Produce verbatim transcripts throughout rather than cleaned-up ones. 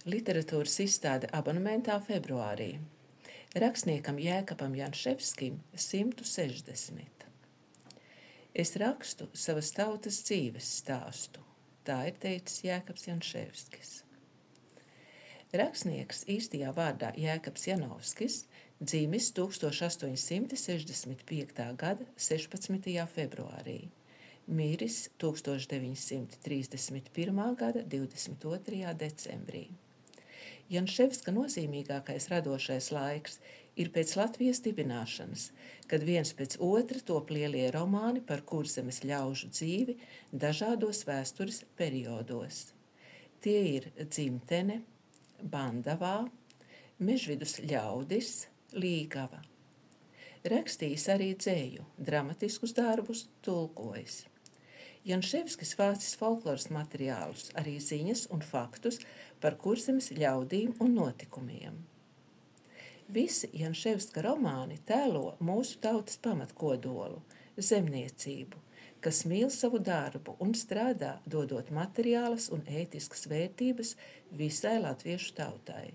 Literatūras izstāde abonementā februārī. Rakstniekam Jēkabam Janševskim simtu sešdesmit. Es rakstu savas tautas dzīves stāstu, tā ir teicis Jēkabs Janševskis. Rakstnieks īstajā vārdā Jēkabs Janovskis dzimis tūkstoš astoņsimt sešdesmit piektā gada sešpadsmitajā februārī, miris tūkstoš deviņsimt trīsdesmit pirmā gada divdesmit otrajā decembrī. Janševska nozīmīgākais radošais laiks ir pēc Latvijas dibināšanas, kad viens pēc otra top lielie romāni par Kurzemes ļaužu dzīvi dažādos vēstures periodos. Tie ir Dzimtene, Bandavā, Mežvidus ļaudis, Līgava. Rakstījis arī dzēju, dramatiskus darbus, tulkojis. Janševskis vācis folkloras materiālus, arī ziņas un faktus par Kurzemes ļaudīm un notikumiem. Visi Janševska romāni tēlo mūsu tautas pamatkodolu, zemniecību, kas mīl savu darbu un strādā, dodot materiālas un ētiskas vērtības visai latviešu tautai.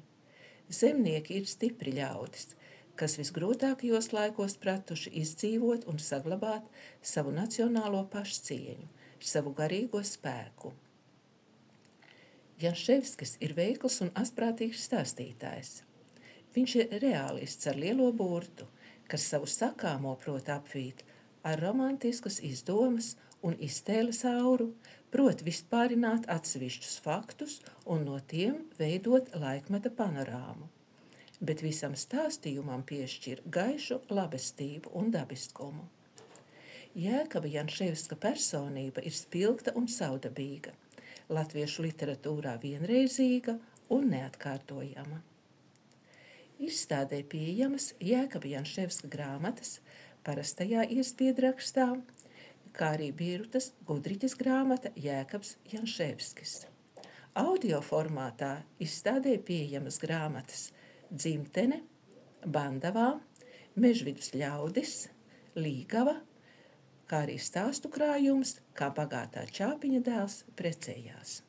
Zemnieki ir stipri ļaudis, kas visgrūtākajos laikos pratuši izdzīvot un saglabāt savu nacionālo pašcieņu, savu garīgo spēku. Janševskis ir veikls un asprātīgs stāstītājs. Viņš ir reālists ar lielo burtu, kas savu sakāmo prot apvīt ar romantiskas izdomas un iztēles auru, prot vispārināt atsevišķus faktus un no tiem veidot laikmeta panorāmu, bet visam stāstījumam piešķir gaišu labestību un dabiskumu. Jēkaba Janševska personība ir spilgta un saudabīga, latviešu literatūrā vienreizīga un neatkārtojama. Izstādē pieejamas Jēkaba Janševska grāmatas parastajā iespiedrakstā, kā arī Birutas Gudriķes grāmata Jēkabs Janševskis. Audio formātā izstādē pieejamas grāmatas Dzimtene, Bandavā, Mežvidus ļaudis, Līgava, kā arī stāstu krājums, kā bagātā čāpiņa dēls precējās.